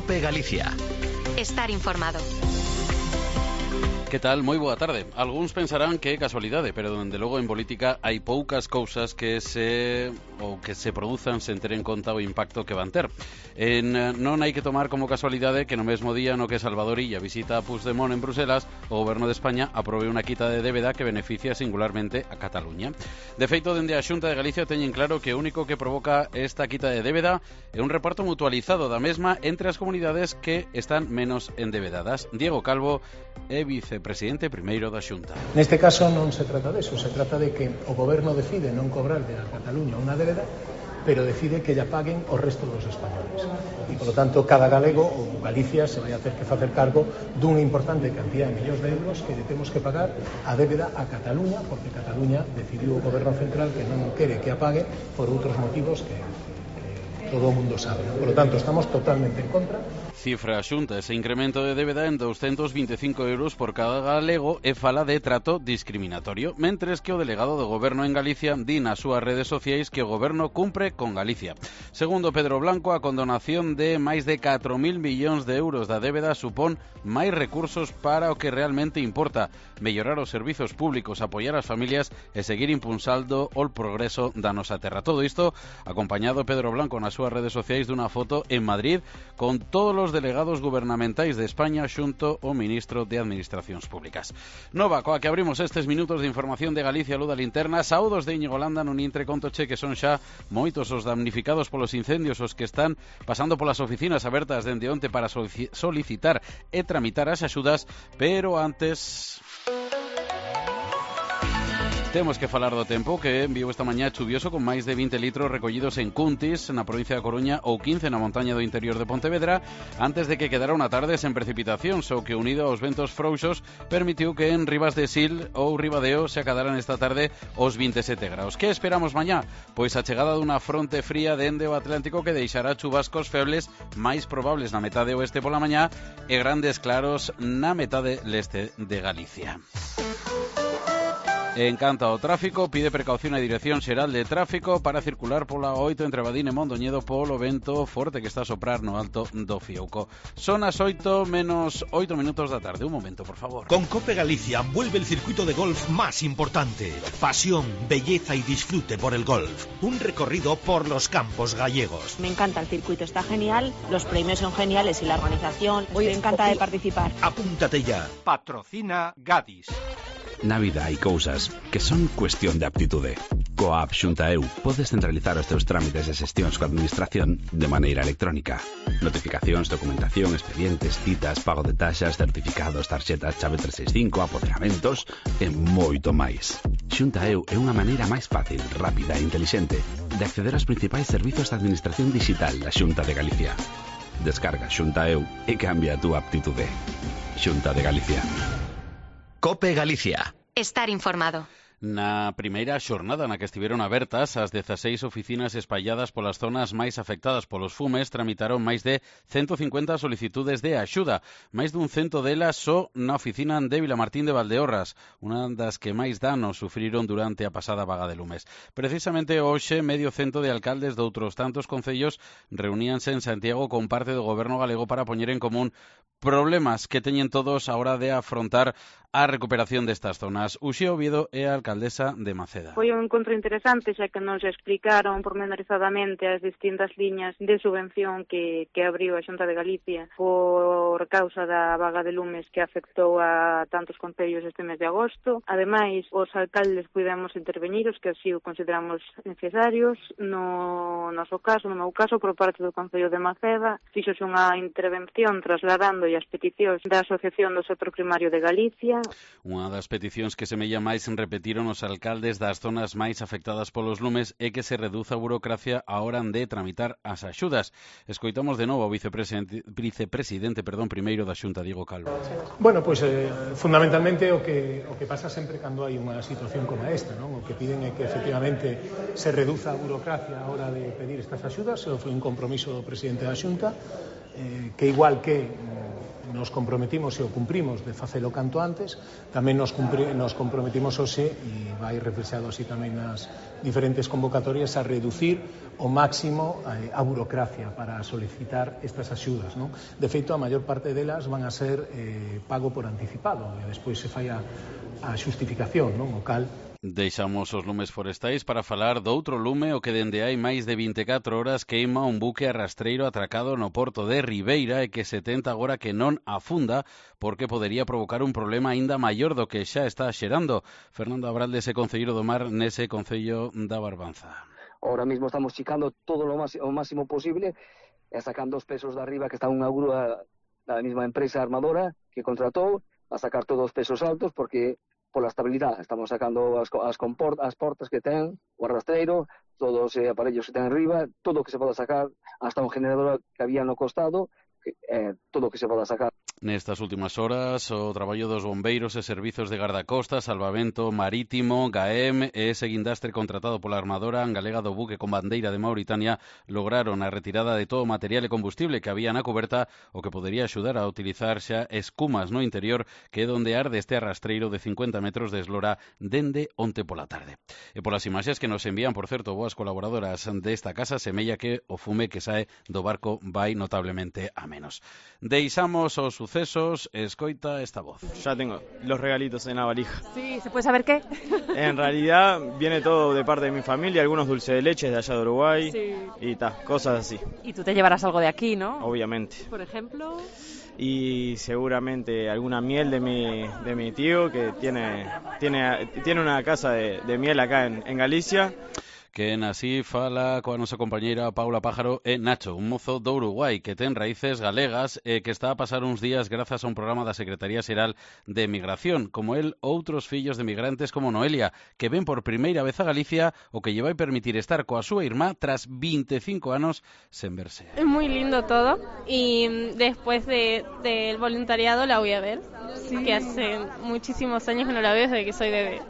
COPE Galicia. Estar informado. Que tal? Moi boa tarde. Algúns pensarán que é casualidade, pero dende logo en política hai poucas cousas que se produzan sen ter en conta o impacto que van ter. Non hai que tomar como casualidade que no mesmo día no que Salvador Illa visita a Puigdemont en Bruselas, o Goberno de España aprobe unha quita de débeda que beneficia singularmente a Cataluña. De feito, dende a Xunta de Galicia teñen claro que o único que provoca esta quita de débeda é un reparto mutualizado da mesma entre as comunidades que están menos endebedadas. Diego Calvo é vicepresidente primeiro da Xunta. Neste caso non se trata de eso, se trata de que o Goberno decide non cobrarle a Cataluña unha débeda, pero decide que lla paguen o resto dos españoles. E, polo tanto, cada galego ou Galicia se vai a ter que facer cargo dunha importante cantidad de millóns de euros que lle temos que pagar a débeda a Cataluña, porque Cataluña decidiu o Goberno central que non quere que a pague por outros motivos que todo o mundo sabe. Por lo tanto, estamos totalmente en contra. Cifra a Xunta ese incremento de débeda en 225 euros por cada galego e fala de trato discriminatorio, mentres que o delegado do Goberno en Galicia di nas súas redes sociais que o Goberno cumpre con Galicia. Segundo Pedro Blanco, a condonación de máis de 4.000 millóns de euros da débeda supón máis recursos para o que realmente importa, mellorar os servizos públicos, apoiar as familias e seguir impulsando o progreso da nosa terra. Todo isto acompañado Pedro Blanco nas súas redes sociais dunha foto en Madrid con todos os delegados gubernamentais de España xunto ao ministro de Administracións Públicas. Nova, coa que abrimos estes minutos de información de Galicia, Luz da Linterna. Saúdos de Íñigo Landa, nun intre contoche que son xa moitos os damnificados polos incendios, os que están pasando polas oficinas abertas dende onte para solicitar e tramitar as axudas, pero antes temos que falar do tempo que enviou esta mañá chuvioso con máis de 20 litros recollidos en Cuntis, na provincia da Coruña, ou 15 na montaña do interior de Pontevedra, antes de que quedara unha tarde sen precipitacións, o que unido aos ventos frouxos permitiu que en Ribas de Sil ou Ribadeo se acadaran esta tarde os 27 graus. Que esperamos mañá? Pois a chegada dunha fronte fría dende o Atlántico que deixará chubascos febles máis probables na metade oeste pola mañá e grandes claros na metade leste de Galicia. En canto ao tráfico, pide precaución a Dirección Xeral de Tráfico para circular pola 8 entre Badín e Mondoñedo polo vento forte que está a soprar no alto do Fiouco. Son as 8 menos 8 minutos da tarde. Un momento, por favor. Con COPE Galicia vuelve el circuito de golf más importante. Pasión, belleza y disfrute por el golf. Un recorrido por los campos gallegos. Me encanta el circuito, está genial, los premios son geniales y la organización. Estoy encantada de participar. Apúntate ya. Patrocina Gadis. Na vida hai cousas que son cuestión de aptitude. Coa app Xunta EU podes centralizar os teus trámites e xestións coa administración de maneira electrónica. Notificacións, documentación, expedientes, citas, pago de taxas, certificados, tarxetas, chave 365, apoderamentos e moito máis. Xunta EU é unha maneira máis fácil, rápida e intelixente de acceder aos principais servizos de administración digital da Xunta de Galicia. Descarga Xunta EU e cambia a túa aptitude. Xunta de Galicia. COPE Galicia. Estar informado. Na primeira xornada na que estiveron abertas as 16 oficinas espalladas polas zonas máis afectadas polos fumes tramitaron máis de 150 solicitudes de axuda, máis dun cento delas só na oficina de Vilamartín de Valdeorras, unha das que máis danos sufriron durante a pasada vaga de lumes. Precisamente hoxe medio cento de alcaldes de outros tantos concellos reuníanse en Santiago con parte do goberno galego para poñer en común problemas que teñen todos a hora de afrontar a recuperación destas zonas. Uxía Oviedo é a alcaldesa de Maceda. Foi un encontro interesante, xa que nos explicaron pormenorizadamente as distintas liñas de subvención que abriu a Xunta de Galicia por causa da vaga de lumes que afectou a tantos concellos este mes de agosto. Ademais, os alcaldes pudemos intervenir, os que así o consideramos necesarios. No noso caso, no meu caso, por parte do Concello de Maceda, fíxose unha intervención trasladando as peticións da Asociación do Sector Primario de Galicia. Unha das peticións que semella máis repetiron os alcaldes das zonas máis afectadas polos lumes é que se reduza a burocracia a hora de tramitar as axudas. Escoitamos de novo ao vicepresidente primeiro da Xunta, Diego Calvo. Bueno, pois fundamentalmente o que pasa sempre cando hai unha situación como esta, non? O que piden é que efectivamente se reduza a burocracia a hora de pedir estas axudas. Foi un compromiso do presidente da Xunta, que igual que nos comprometimos e o cumprimos de facelo canto antes, tamén nos comprometimos hoxe, e vai reflexado así tamén nas diferentes convocatorias, a reducir o máximo a burocracia para solicitar estas axudas, non? De feito, a maior parte delas van a ser pago por anticipado, e despois se fai a xustificación, non? O cal Deixamos os lumes forestais para falar doutro lume o que dende hai máis de 24 horas queima un buque arrastreiro atracado no porto de Ribeira e que se tenta agora que non afunda porque podería provocar un problema aínda maior do que xa está xerando. Fernando Abraldes é concelleiro do mar nese concello da Barbanza. Ahora mismo estamos chicando todo o máximo posible e sacando os pesos de arriba que está unha grúa da mesma empresa armadora que contratou a sacar todos os pesos altos porque pola estabilidade. Estamos sacando as portas que ten, o arrastreiro, todos os aparellos que ten arriba, todo o que se poda sacar, hasta un generador que había no costado, todo o que se poda sacar. Nestas últimas horas, o traballo dos bombeiros e servizos de guardacostas, salvamento marítimo, GAEM e ese guindastre contratado pola armadora galega do buque con bandeira de Mauritania lograron a retirada de todo o material e combustible que había na coberta, o que podería axudar a utilizar xa escumas no interior, que é onde arde este arrastreiro de 50 metros de eslora dende onte pola tarde. E polas imaxes que nos envían, por certo, boas colaboradoras desta casa, semella que o fume que sae do barco vai notablemente a menos. Deixamos os sucesos, escoita esta voz. Ya tengo los regalitos en la valija. Sí, ¿se puede saber qué? En realidad viene todo de parte de mi familia, algunos dulces de leche de allá de Uruguay, sí, y cosas así. Y tú te llevarás algo de aquí, ¿no? Obviamente. Por ejemplo. Y seguramente alguna miel de mi tío que tiene una casa de miel acá en Galicia. Que así fala coa nosa compañeira Paula Pájaro e Nacho, un mozo do Uruguai que ten raíces galegas e que está a pasar uns días grazas a un programa da Secretaría Xeral de Migración, como el outros fillos de migrantes como Noelia, que ven por primeira vez a Galicia, o que lle vai permitir estar coa súa irmá tras 25 anos sen verse. Es muy lindo todo y después del voluntariado la voy a ver, sí, que hace muchísimos años que no la veo desde que soy bebé,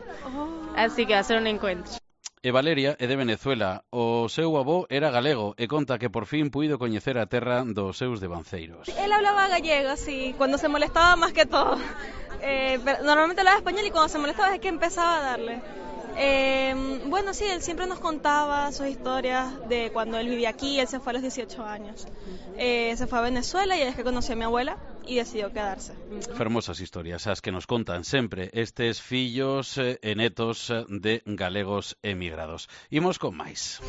así que va a ser un encuentro. E Valeria é de Venezuela. O seu avó era galego e conta que por fin puido coñecer a terra dos seus devanceiros. Él hablaba gallego, sí, cuando se molestaba más que todo. Pero normalmente hablaba español y cuando se molestaba es que empezaba a darle. Bueno, sí, él siempre nos contaba sus historias de cuando él vivía aquí. Él se fue a los 18 años. Se fue a Venezuela y es que conoció a mi abuela y decidió quedarse. Fermosas historias as que nos contan sempre estes fillos e netos de galegos emigrados. Imos con máis.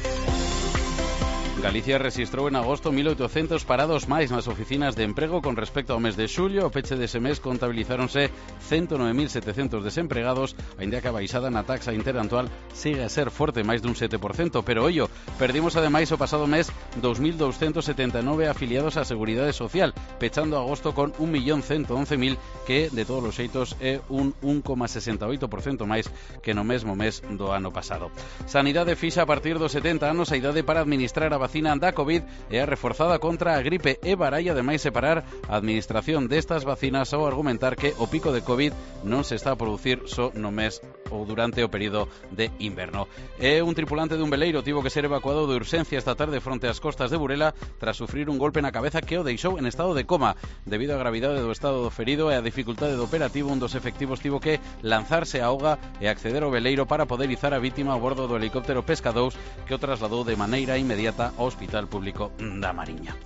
Galicia rexistrou en agosto 1.800 parados máis nas oficinas de emprego con respecto ao mes de xullo. O peche dese mes contabilizáronse 109.700 desempregados, aínda que a baixada na taxa interanual sigue a ser forte, máis dun 7%, pero ollo, perdimos ademais o pasado mes 2.279 afiliados á Seguridade Social, pechando agosto con 1.111.000, que de todos os xeitos é un 1,68% máis que no mesmo mes do ano pasado. Sanidade fixa a partir dos 70 anos a idade para administrar a vacina da COVID e a reforzada contra a gripe e baralla ademais separar a administración destas vacinas ao argumentar que o pico de COVID non se está a producir só no mes ou durante o período de inverno. E un tripulante dun veleiro tivo que ser evacuado de urxencia esta tarde fronte ás costas de Burela tras sufrir un golpe na cabeza que o deixou en estado de coma. Debido á gravidade do estado do ferido e a dificultade do operativo, un dos efectivos tivo que lanzarse á auga e acceder ao veleiro para poder izar a vítima a bordo do helicóptero Pesca 2 que o trasladou de maneira inmediata ao Hospital Público da Mariña.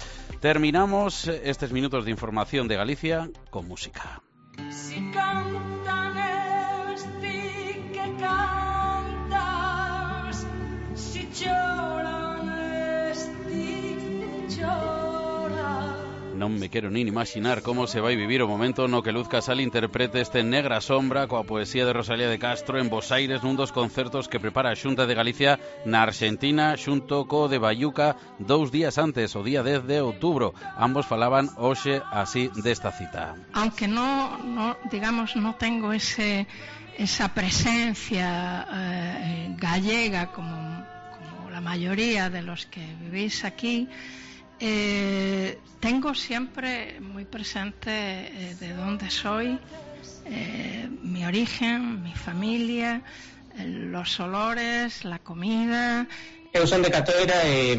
Terminamos estes minutos de información de Galicia con música. Si cantan esti que cantas, si choran esti que choras. Non me quero nin imaginar como se vai vivir o momento no que Luz Casal interprete este Negra Sombra coa poesía de Rosalía de Castro en Bos Aires nun dos concertos que prepara a Xunta de Galicia na Argentina xunto co de Bayuca 2 días antes, o día 10 de outubro. Ambos falaban hoxe así desta cita. Aunque no digamos, no tengo esa presencia gallega como la mayoría de los que vivís aquí, tengo siempre muy presente de dónde soy, mi origen, mi familia, los olores, la comida. Eu son de Catoira e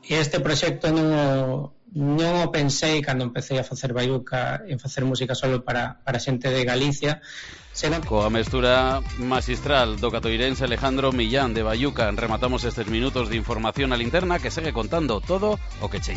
este proxecto non non o pensei cando empecé a facer baiuca, en facer música solo para xente de Galicia, senón que... Coa mestura magistral do catoirense Alejandro Millán de Baiuca rematamos estes minutos de información a linterna que segue contando todo o que che